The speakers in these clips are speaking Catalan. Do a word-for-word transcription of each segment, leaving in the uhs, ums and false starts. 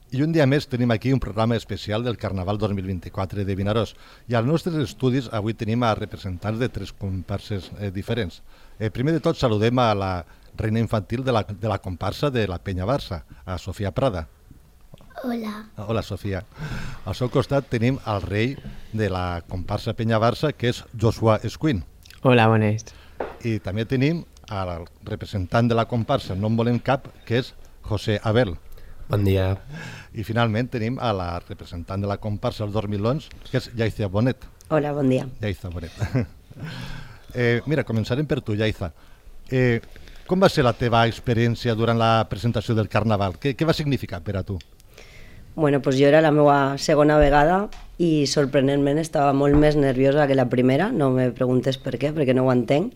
I un dia més tenim aquí un programa especial del Carnaval dos mil vint-i-quatre de Vinaròs. I als nostres estudis avui tenim a representants de tres comparses eh, diferents. Eh, primer de tot saludem a la reina infantil de la, de la comparsa de la Penya Barça, a Sofia Prada. Hola. Hola, Sofia. Al seu costat tenim el rei de la comparsa Penya Barça, que és Joshua Escuin. Hola, bones. I també tenim al representant de la comparsa No en volem cap, que és José Abel. Bon dia. I finalment tenim a la representant de la comparsa els dormilons, que és Yaiza Bonet. Hola, bon dia. Yaiza Bonet. eh, mira, començarem per tu, Yaiza. Eh, com va ser la teva experiència durant la presentació del Carnaval? Què, què va significar per a tu? Bueno, pues jo era la meva segona vegada i sorprenentment estava molt més nerviosa que la primera, no me preguntes per què, perquè no ho entenc,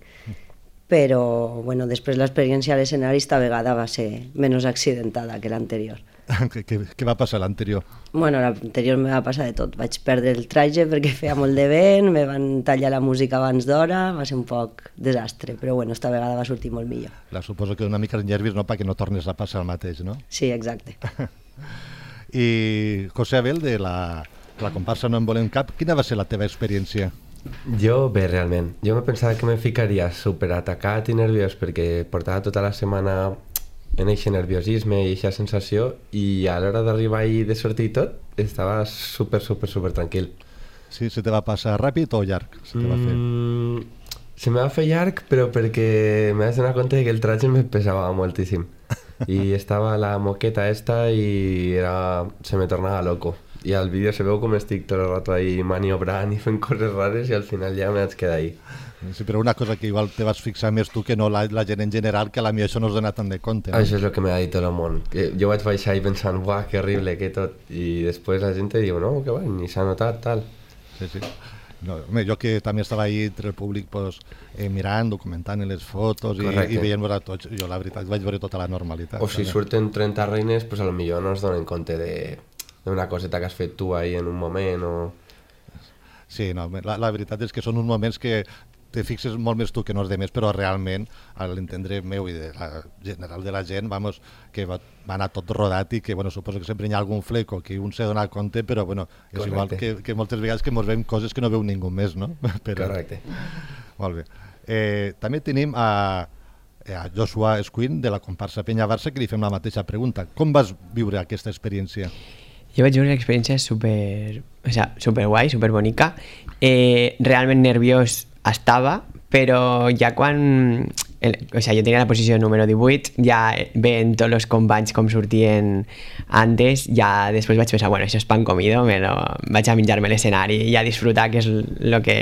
però bueno, després l'experiència a l'escenari esta vegada va ser menys accidentada que l'anterior. què, què, què va passar l'anterior? Bueno, l'anterior me va passar de tot. Vaig perdre el traje perquè feia molt de vent, me van tallar la música abans d'hora, va ser un poc desastre, però bueno, esta vegada va sortir molt millor. La suposo que una mica de nervis, no?, perquè no tornes a passar el mateix, no? Sí, exacte. I José Abel, de la, la comparsa No en volem cap, quina va ser la teva experiència? Jo, bé, realment. Jo me pensava que me ficaria superatacat i nerviós perquè portava tota la setmana en aquest nerviosisme i aquesta sensació i a l'hora d'arribar i de sortir i tot, estava super, super, super tranquil. Sí, se te va passar ràpid o llarg? Se te va fer? Mm, se me va fer llarg, però perquè me vaig donar compte que el traje me pesava moltíssim. I estava la moqueta esta i era... se me tornava loco. I al vídeo se veu com estic tot el rato ahí maniobrant i fent coses rares i al final ja me vaig quedar ahí. Sí, però una cosa que igual te vas fixar més tu que no la, la gent en general, que a la mi això no es dona tant de compte. No? Això és el que m'ha dit tot el món. Que jo vaig baixar i pensant, buah, que horrible, que tot. I després la gent diu, no, que va, ni s'ha notat, tal. Sí, sí. No, home, jo que també estava ahí entre el públic pues, eh, mirant, documentant les fotos i, i veient-vos a tots, jo la veritat vaig veure tota la normalitat. O si surten trenta reines, pues a lo millor no es donen compte de d'una coseta que has fet tu ahí en un moment o... Sí, no, la, la veritat és que són uns moments que te fixes molt més tu que no els demés, però realment, a l'entendre meu i de la general de la gent, vamos, que va, va anar tot rodat i que, bueno, suposo que sempre hi ha algun fleco que un s'ha donat compte, però, bueno, és Correcte. Igual que, que moltes vegades que mos veiem coses que no veu ningú més, no? Però... Correcte. Molt bé. Eh, també tenim a, a Joshua Escuin, de la comparsa Penya Barça, que li fem la mateixa pregunta. Com vas viure aquesta experiència? Jo vaig viure una experiència super, o sea, super guai, super bonica. Eh, realment nerviós estava, però ja quan... El, o sea, jo tenia la posició número divuit, ja veient tots els companys com sortien antes, ja després vaig pensar, bueno, això és pan comido, me lo, vaig a menjar-me l'escenari i a disfrutar, que és el que,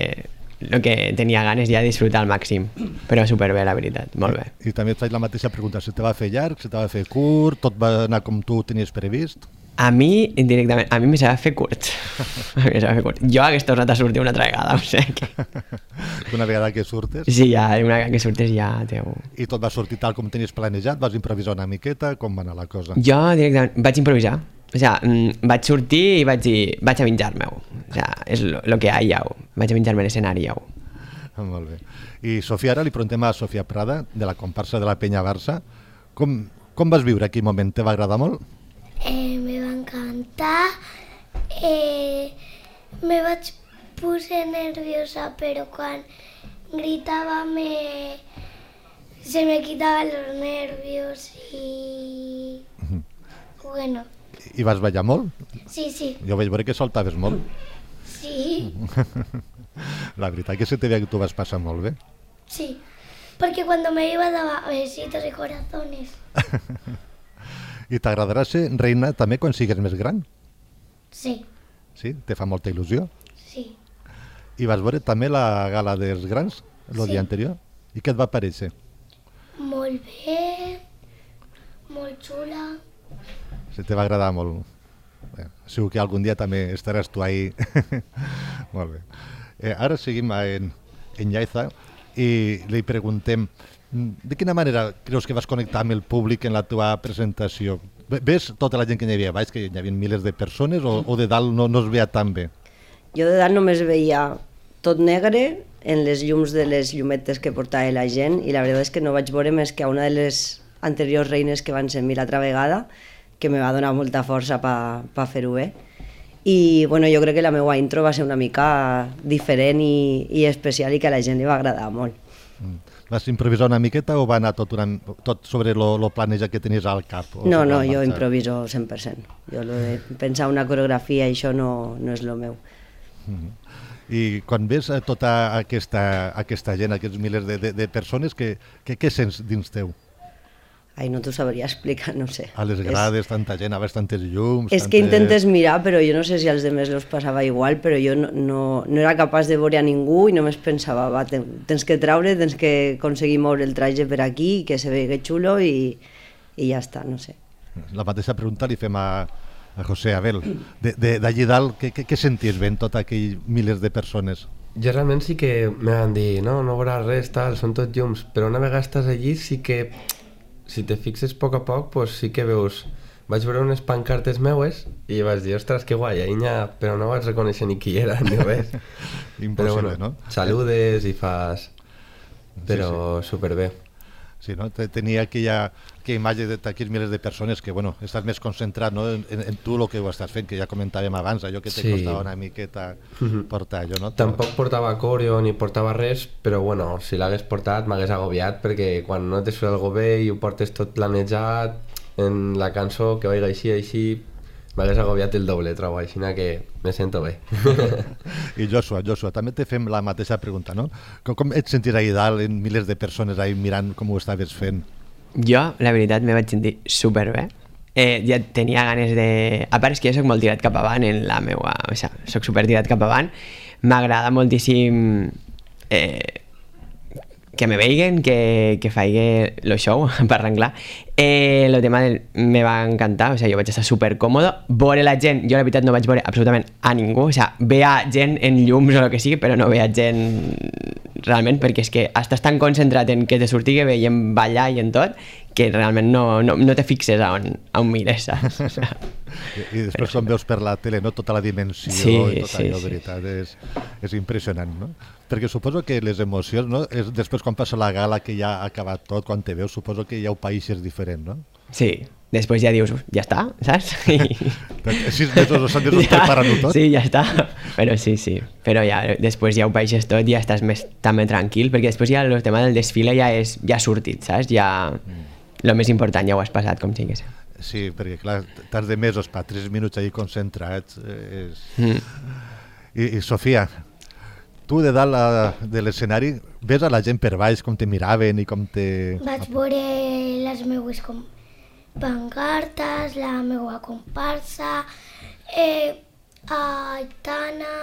lo que tenia ganes, ja disfrutar al màxim. Però superbé, la veritat, molt bé. I, i també et faig la mateixa pregunta, se te va fer llarg, se te va fer curt, tot va anar com tu tenies previst? A mi, indirectament, a mi me s'ha de fer curt. A mi me s'ha de fer curt. Jo hagués tornat a sortir una altra vegada, o sigui que... Una vegada que surtes? Sí, ja, una vegada que surtes ja teu... I tot va sortir tal com tenies planejat? Vas improvisar una miqueta? Com va anar la cosa? Jo directament vaig improvisar. O sigui, vaig sortir i vaig dir, vaig a menjar-me-ho. O sigui, és lo que hi ha, vaig a menjar-me l'escenari, ja. Molt bé. I Sofia, ara li preguntem a Sofia Prada, de la comparsa de la Penya Barça. Com, com vas viure aquell moment? Te va agradar molt? Eh, me va encantar, eh, me vaig posar nerviosa, però quan gritava me... se me quitaven los nervios i... bueno. I vas ballar molt? Sí, sí. Jo vaig veure que soltaves molt. Sí. La veritat que se te veia que tu vas passar molt bé. Sí, perquè quan me iba daba besitos y corazones. I t'agradarà ser reina també quan sigues més gran? Sí. Sí? Te fa molta il·lusió? Sí. I vas veure també la gala dels grans el sí. dia anterior? I què et va parèixer? Molt bé, molt xula. Se te va agradar molt. Bé, segur que algun dia també estaràs tu ahí. Molt bé. Eh, ara seguim en, en Yaiza i li preguntem de quina manera creus que vas connectar amb el públic en la teva presentació? Ves tota la gent que hi havia baix, que hi havia milers de persones, o, o de dalt no, no es veia tan bé? Jo de dalt només veia tot negre en les llums de les llumetes que portava la gent i la veritat és que no vaig veure més que a una de les anteriors reines que van ser mi l'altra vegada. que me va donar molta força per pa fer-ho bé. I bueno, jo crec que la meva intro va ser una mica diferent i, i especial i que a la gent li va agradar molt. Mm. Vas improvisar una miqueta o va anar tot, una, tot sobre lo, lo planejat que tenies al cap? No, no, jo improviso cent per cent. Jo lo de pensar una coreografia, això no, no és lo meu. Mm. I quan ves a tota aquesta, aquesta gent, aquests milers de, de, de persones, què, què, què sents dins teu? Ai, no t'ho sabria explicar, no sé. A les grades, és... tanta gent, a veure tantes llums... És tantes... que intentes mirar, però jo no sé si als demés los passava igual, però jo no, no, no era capaç de veure a ningú i només pensava, va, tens que traure, tens que aconseguir moure el traje per aquí, que se vegi xulo i, i ja està, no sé. La mateixa pregunta li fem a, a José Abel. D'allí dalt, què, què, què senties veient tot aquell milers de persones? Jo realment sí que me van dir, no, no veuràs res, tal, són tots llums, però una vegada estàs allí sí que... Si te fixes a poc a poc, pues sí que veus... Vaig veure unes pancartes meues i vaig dir, ostres, que guai, Inya, però no vaig reconèixer ni qui era, ni res. Impossible, però bueno, no? Saludes i fas... Però sí, sí. superbé. Sí, no? Tenia aquella, aquella imatge d'aquells milers de persones que, bueno, estàs més concentrat, no? en, en tu el que ho estàs fent, que ja comentàvem abans, allò que te sí. costava una miqueta portar allò, no? Tampoc portava coreo ni portava res, però bueno, si l'hagués portat m'hagués agobiat, perquè quan no te surt algo bé i ho portes tot planejat en la cançó, que vagi així, així, m'hagués agobiat el doble, trobo, així que me sento bé. I Joshua, Joshua, també te fem la mateixa pregunta, no? Com, com et sentis ahí dalt, en milers de persones ahí mirant com ho estaves fent? Jo, la veritat, me vaig sentir superbé. Eh, ja tenia ganes de... A part és que jo soc molt tirat cap avant en la meua... O sigui, soc super tirat cap avant. M'agrada moltíssim eh, que me veiguen, que, que faig el show, per arreglar. Eh, el tema del, me va encantar, o sigui, jo vaig estar super còmodo. Veure la gent, jo la veritat no vaig veure absolutament a ningú, o sigui, veia gent en llums o el que sigui, però no veia gent realment, perquè és que estàs tan concentrat en que te surtigui bé i en ballar i en tot, que realment no, no, no te fixes a on, a on mires, saps? O sigui, I, I després quan veus per la tele, no? Tota la dimensió sí, i tot sí, allò, sí. veritat, és, és impressionant, no? Perquè suposo que les emocions, no? És després quan passa la gala, que ja ha acabat tot, quan te veus, suposo que ja ho paeixes diferent, no? Sí, després ja dius, ja està, saps? I... Sis mesos o set mesos ja, preparant-ho tot? Sí, ja està, però sí, sí. Però ja, després ja ho paeixes tot i ja estàs més, també tranquil, perquè després ja el tema del desfile ja és ja sortit, saps? Ja... Mm. Lo més important ja ho has passat, com sigues. Sí, perquè clar, t'has de mesos per tres minuts allà concentrats. És... Mm. I, I Sofia, tu de dalt a, de l'escenari ves a la gent per baix com te miraven i com te... Vaig veure les meues com pancartes, la meua comparsa, eh, a Aitana,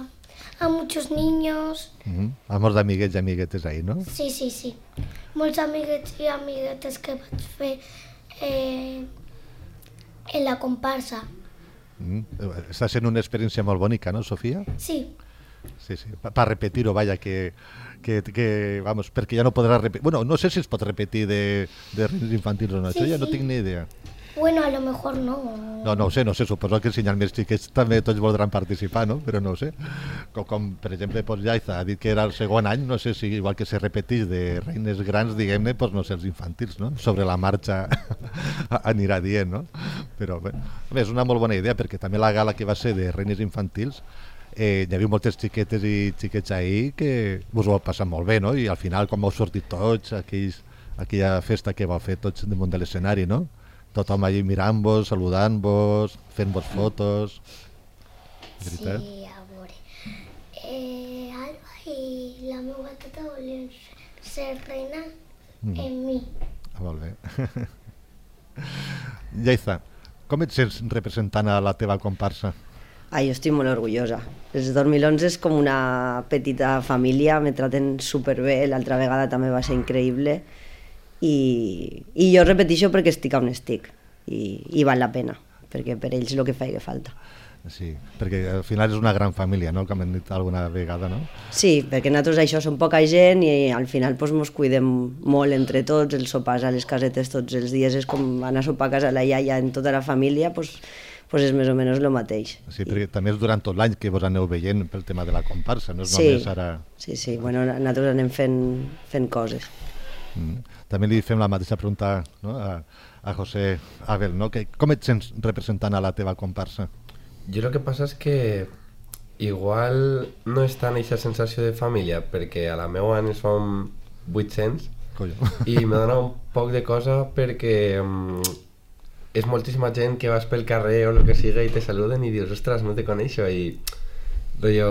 a, a muchos niños. Mm-hmm. A molts d'amiguets i amiguetes ahí, no? Sí, sí, sí. Molts amiguets i amiguetes que vaig fer eh, en la comparsa. Mm. Està sent una experiència molt bonica, no, Sofia? Sí. Sí, sí, per repetir-ho, vaja, que, que, que, vamos, perquè ja no podrà repetir... Bueno, no sé si es pot repetir de, de reines infantils o no, sí, això ja sí. No tinc ni idea. Bueno, a lo mejor no. No, no ho sé, no sé, suposo que si hi ha més xiquets també tots voldran participar, no? Però no ho sé. Com, com per exemple, pues, Yaiza ha dit que era el segon any, no sé si igual que se repetís de reines grans, diguem-ne, pues, no sé, els infantils, no? Sobre la marxa anirà dient, no? Però bé, és una molt bona idea, perquè també la gala que va ser de reines infantils, eh, hi havia moltes xiquetes i xiquets ahir que us ho heu passat molt bé, no? I al final, com heu sortit tots, aquells, aquella festa que vau fer tots damunt de l'escenari, no? Tothom allà mirant-vos, saludant-vos, fent-vos fotos... Veritat? Sí, a veure. Eh, Alba i la meva tata volien ser reina mm. en mi. Ah, molt bé. Yaiza, com et sents representant a la teva comparsa? Ah, jo estic molt orgullosa. Els dos mil onze és com una petita família, me traten superbé, l'altra vegada també va ser increïble. I, i jo repeteixo perquè estic on estic i, i val la pena, perquè per ells el que faig falta. Sí, perquè al final és una gran família, no?, com hem dit alguna vegada, no? Sí, perquè nosaltres això som poca gent i al final pues, mos cuidem molt entre tots, els sopars a les casetes tots els dies és com anar a sopar a casa la iaia en tota la família, pues, pues és més o menys el mateix. Sí, perquè I... també és durant tot l'any que vos aneu veient pel tema de la comparsa, no és sí, només ara... Sí, sí, bueno, nosaltres anem fent, fent coses. Mm. També li fem la mateixa pregunta, no? a, a José Abel, no? Que, com et sents representant a la teva comparsa? Jo el que passa és que igual no és tant aquesta sensació de família, perquè a la meva en som vuit-cents i me dona un poc de cosa perquè um, és moltíssima gent que vas pel carrer o el que siga i te saluden i dius, ostres, no te coneixo, i rotllo,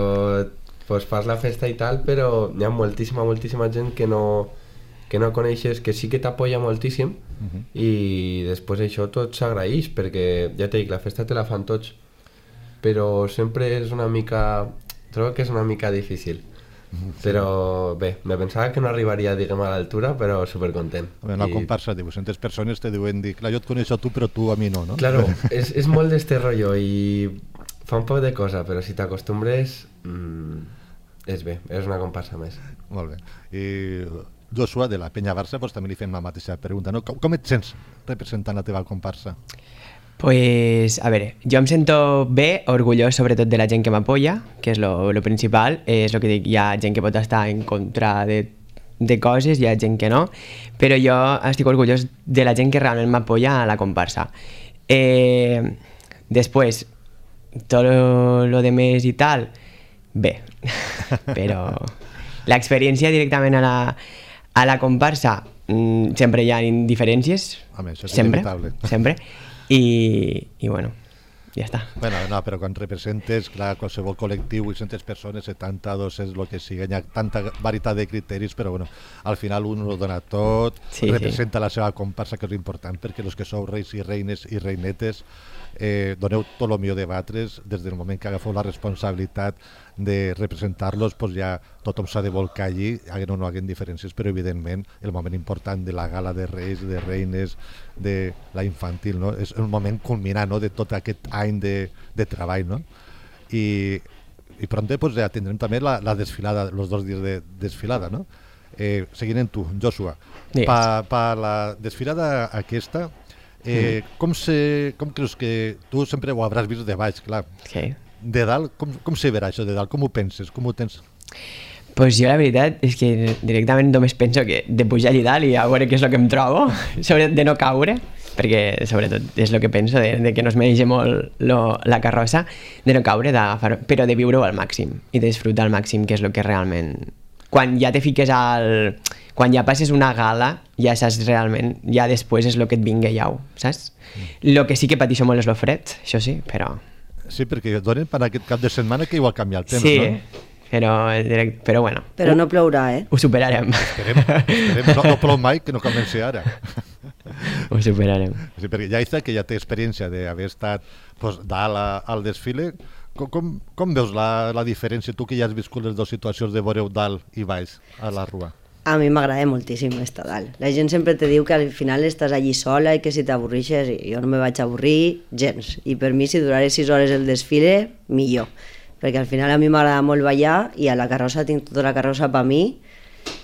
pues fas la festa i tal, però hi ha moltíssima, moltíssima gent que no, que no coneixes, que sí que t'apoya moltíssim, uh-huh. i després això tot s'agraeix, perquè ja t'he dit, la festa te la fan tots, però sempre és una mica, trobo que és una mica difícil. Sí. Però bé, me pensava que no arribaria, diguem, a l'altura, però supercontent. A veure, una I... comparsa de vuit-centes persones te diuen dir, clar, jo et coneixo a tu, però tu a mi no, no? Claro, és, és molt d'este rotllo i fa un poc de cosa, però si t'acostumbres, mmm, és bé, és una comparsa més. Molt bé. I Joshua, de la Penya Barça, doncs també li fem la mateixa pregunta, no? Com, com et sents representant la teva comparsa? Pues, a veure, jo em sento bé, orgullós sobretot de la gent que m'apoya, que és lo, lo principal, és el que dic, hi ha gent que pot estar en contra de, de coses, hi ha gent que no, però jo estic orgullós de la gent que realment m'apoya a la comparsa. Eh, després, tot lo, lo de més i tal, bé, però l'experiència directament a la, a la comparsa, mmm, sempre hi ha diferències, Home, això és sempre, inevitable. sempre, I, i bueno, ja està. Bueno, no, però quan representes, clar, qualsevol col·lectiu, vuit-centes persones, setanta, dos-cents, el que sigui, hi ha tanta varietat de criteris, però bueno, al final un ho dona tot, sí, representa sí. la seva comparsa, que és important, perquè els que sou reis i reines i reinetes eh, doneu tot el millor de batres, des del moment que agafeu la responsabilitat de representar-los, doncs ja tothom s'ha de volcar allí, haguem o no haguem diferències, però evidentment el moment important de la gala de reis, de reines, de la infantil, no? És un moment culminant, no? De tot aquest any de, de treball, no? I, i pronto pues, ja tindrem també la, la desfilada, els dos dies de desfilada, no? Eh, seguint en tu, Joshua, yes. pa, pa la desfilada aquesta, eh, mm. com, se, com creus que tu sempre ho hauràs vist de baix, clar, okay. De dalt, com, com se verà això de dalt? Com ho penses? Com ho tens? Pues jo la veritat és que directament només penso que de pujar allà dalt i a veure què és el que em trobo, sobretot de no caure, perquè sobretot és el que penso, de, de que no es mereix molt lo, la carrossa, de no caure, però de viure-ho al màxim i de disfrutar al màxim, que és el que realment... Quan ja te fiques al... Quan ja passes una gala, ja saps realment, ja després és el que et vinga llau, saps? El que sí que pateixo molt és el fred, això sí, però... Sí, perquè donen per aquest cap de setmana que igual canvia el temps, sí, no? Però, però bueno. Però no plourà, eh? Ho superarem. Esperem, esperem. No, no plou mai, que no comenci ara. Ho superarem. Sí, perquè ja està que ja té experiència d'haver estat pues, dalt a, al desfile. Com, com, com veus la, la diferència, tu que ja has viscut les dues situacions de veure dalt i baix a la rua? A mi m'agrada moltíssim estar dalt. La gent sempre te diu que al final estàs allí sola i que si t'avorreixes, i jo no me vaig avorrir gens. I per mi, si duraré sis hores el desfile, millor. Perquè al final a mi m'agrada molt ballar i a la carrossa tinc tota la carrossa per mi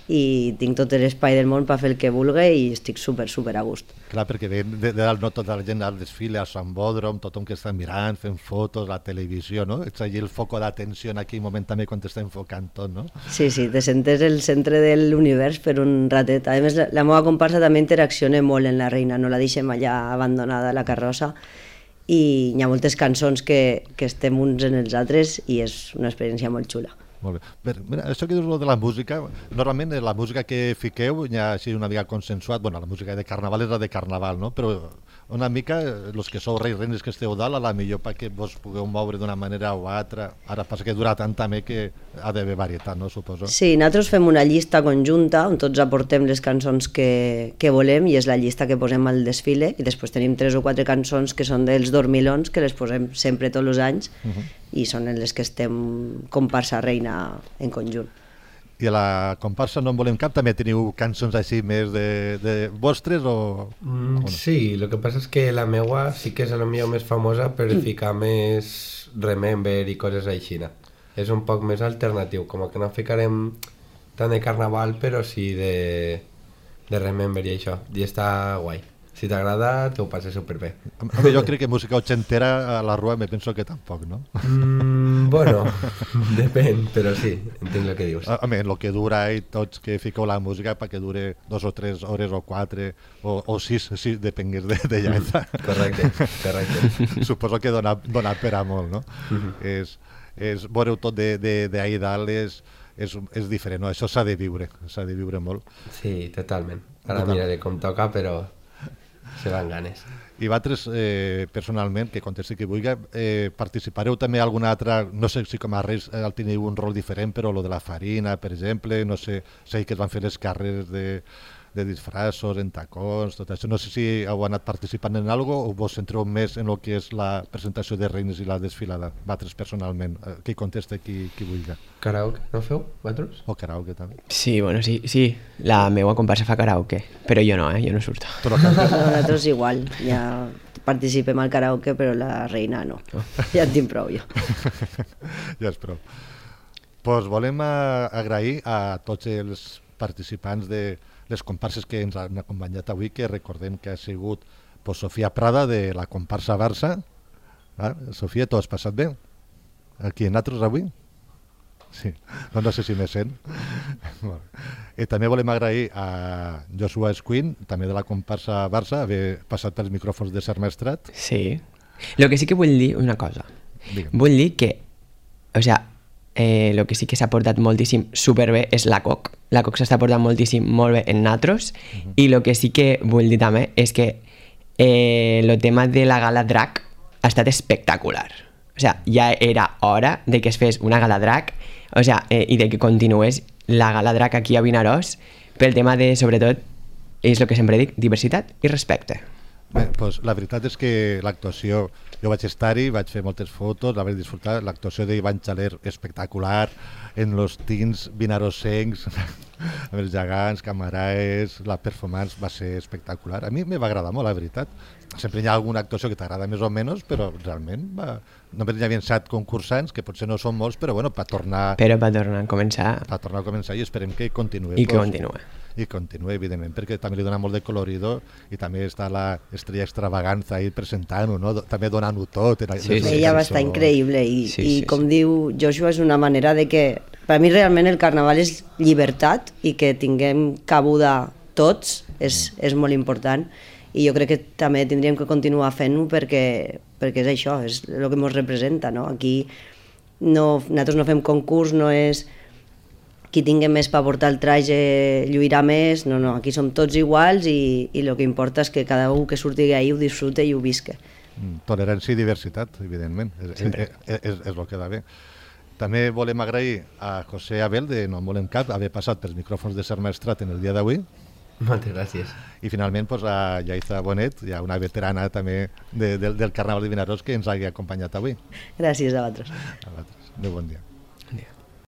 i tinc tot l'espai del món per fer el que vulgui i estic super, super a gust. Clar, perquè de, de, de dalt no tota la gent al desfile, al Sant Bòdrom, tothom que està mirant, fent fotos, la televisió, no? Ets allí el foco d'atenció en aquell moment també quan t'està enfocant tot, no? Sí, sí, te sentes el centre de l'univers per un ratet. A més, la, la meva comparsa també interacciona molt en la reina, no la deixem allà abandonada a la carrossa i hi ha moltes cançons que, que estem uns en els altres i és una experiència molt xula. Molt bé. Bé, mira, això que dius de la música, normalment la música que fiqueu ja ha sigut una mica consensuat, bueno, la música de carnaval és la de carnaval, no? Però una mica, els que sou reis reines que esteu dalt, a la millor perquè vos pugueu moure d'una manera o altra. Ara passa que dura tant també que ha d'haver varietat, no? Suposo. Sí, nosaltres fem una llista conjunta on tots aportem les cançons que, que volem i és la llista que posem al desfile i després tenim tres o quatre cançons que són dels dormilons que les posem sempre tots els anys uh-huh. i són en les que estem comparsa reina en conjunt. I a la comparsa No en volem cap també teniu cançons així més de, de vostres o, mm, o no? Sí, el que passa és que la meua sí que és la millor més famosa per ficar més Remember i coses així. És un poc més alternatiu, com que no ficarem tant de carnaval però sí de, de Remember i això, i està guai. Si t'agrada, t'ho passes superbé. Home, jo crec que música ochentera a la rua me penso que tampoc, no? Mm, bueno, depèn, però sí, entenc el que dius. Home, en el que dura i tots que fiqueu la música perquè dure dos o tres hores o quatre o, o sis, sí, depengués de, de llaça. Correcte, correcte. Suposo que dona, dona per a molt, no? Uh -huh. és, és, veureu tot d'ahir dalt és, és, és diferent, no? Això s'ha de viure, s'ha de viure molt. Sí, totalment. Ara miraré com toca, però se van ganes. I vosaltres, eh, personalment, que contesti qui vulgui, eh, participareu també a alguna altra, no sé si com a Reis eh, teniu un rol diferent, però lo de la farina, per exemple, no sé, sé que es van fer les carreres de, de disfraços, en tacons, tot això. No sé si heu anat participant en alguna cosa o vos centreu més en el que és la presentació de reines i la desfilada, vosaltres personalment. Eh, qui contesta qui, qui vulgui. Karaoke, no feu, vosaltres? O karaoke també. Sí, bueno, sí, sí. La meva comparsa fa karaoke, però jo no, eh? Jo no surto. Tu no cantes? Nosaltres igual, ja participem al karaoke, però la reina no. Ja en tinc prou jo. Ja és prou. Pues volem a, agrair a tots els participants de les comparses que ens han acompanyat avui, que recordem que ha sigut pues, Sofia Prada de la comparsa Barça. Ah, Sofia, t'ho has passat bé? Aquí en nosaltres avui? Sí, no, no sé si me sent. I també volem agrair a Joshua Escuin, també de la comparsa Barça, haver passat pels micròfons de Ser Maestrat. Sí. Lo que sí que vull dir una cosa. Digue'm. Vull dir que, o sea, eh, lo que sí que s'ha portat moltíssim superbé és la C O C. La C O C s'està portant moltíssim molt bé en natros, uh -huh. i lo que sí que vull dir també és que eh, el tema de la gala drag ha estat espectacular. O sea, ja era hora de que es fes una gala drag, o sea, eh, i de que continués la gala drag aquí a Vinaròs pel tema de, sobretot, és el que sempre dic, diversitat i respecte. Bé, doncs la veritat és que l'actuació, jo vaig estar-hi, vaig fer moltes fotos, la vaig disfrutar, l'actuació d'Ivan Xaler espectacular, en los teens vinarossencs, amb els gegants, camaraes, la performance va ser espectacular. A mi me va agradar molt, la veritat. Sempre hi ha alguna actuació que t'agrada més o menys, però realment va... només hi havia set concursants, que potser no són molts, però bueno, per tornar... Però per tornar a començar... Per tornar a començar i esperem que continuï. I que continuï. I continuï, evidentment, perquè també li dona molt de colorido i també està la estrella extravaganza ahí presentant-ho, no? També donant-ho tot. Sí, sí, ella va estar increïble i, sí, i sí, com sí. diu Joshua, és una manera de que... Per a mi realment el carnaval és llibertat i que tinguem cabuda tots és, mm. és molt important i jo crec que també tindríem que continuar fent-ho perquè, perquè és això, és el que ens representa, no? Aquí no, nosaltres no fem concurs, no és qui tingui més per portar el traje lluirà més, no, no, aquí som tots iguals i, i el que importa és que cada un que surti d'ahí ho disfrute i ho visque. Tolerància i diversitat, evidentment, és, és, és, és el que va bé. També volem agrair a José Abel de No en volem cap haver passat pels micròfons de Ser Maestrat en el dia d'avui. Moltes gràcies. I finalment pues, a Yaiza Bonet, ja una veterana també de, de, del Carnaval de Vinaròs que ens hagi acompanyat avui. Gràcies a vosaltres. A vosaltres. Adéu, bon dia. Bon dia.